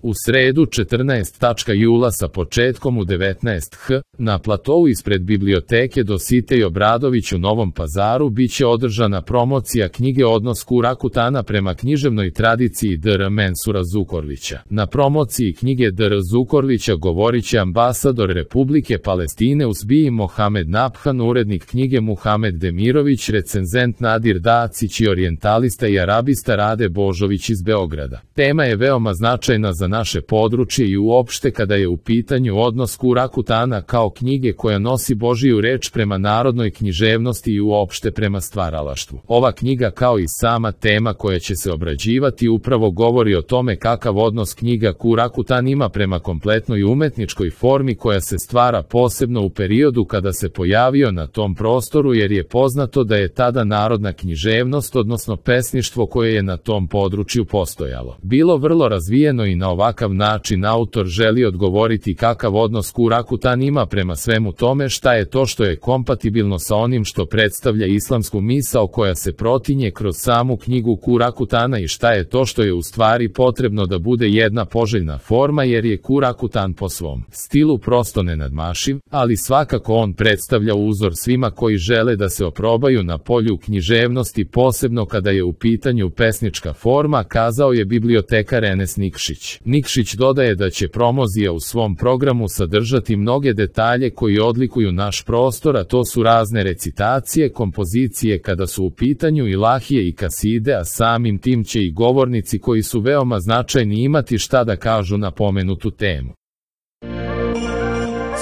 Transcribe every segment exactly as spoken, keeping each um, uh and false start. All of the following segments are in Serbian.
U sredu četrnaestog jula sa početkom u devetnaest sati, na platou ispred biblioteke Dositej Obradović u Novom Pazaru biće održana promocija knjige Odnos Kurakutana prema književnoj tradiciji dr Mensura Zukorlića. Na promociji knjige dr Zukorlića govorit će ambasador Republike Palestine u Srbiji Mohamed Nabhan, urednik knjige Muhamed Demirović, recenzent Nadir Dacić i orijentalista i arabista Rade Božović iz Beograda. Tema je veoma značajna za naše područje i uopšte kada je u pitanju odnos Kurakutana kao knjige koja nosi Božiju reč prema narodnoj književnosti i uopšte prema stvaralaštvu. Ova knjiga kao i sama tema koja će se obrađivati upravo govori o tome kakav odnos knjiga Kurakutan ima prema kompletnoj umetničkoj formi koja se stvara posebno u periodu kada se pojavio na tom prostoru, jer je poznato da je tada narodna književnost odnosno pesništvo koje je na tom području postojalo bilo vrlo razvijeno i na ovakav način autor želi odgovoriti kakav odnos Kurakutan ima prema svemu tome, šta je to što je kompatibilno sa onim što predstavlja islamsku misao koja se protinje kroz samu knjigu Kurakutana i šta je to što je u stvari potrebno da bude jedna poželjna forma, jer je Kurakutan po svom stilu prosto nenadmašiv, ali svakako on predstavlja uzor svima koji žele da se oprobaju na polju književnosti, posebno kada je u pitanju pesnička forma, kazao je bibliotekar Enes Nikšić. Nikšić dodaje da će promozija u svom programu sadržati mnoge detalje koji odlikuju naš prostor, a to su razne recitacije, kompozicije kada su u pitanju ilahije i kaside, a samim tim će i govornici koji su veoma značajni imati šta da kažu na pomenutu temu.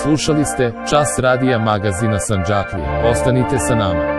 Slušali ste Čas radija magazina Sandžaklija. Ostanite sa nama.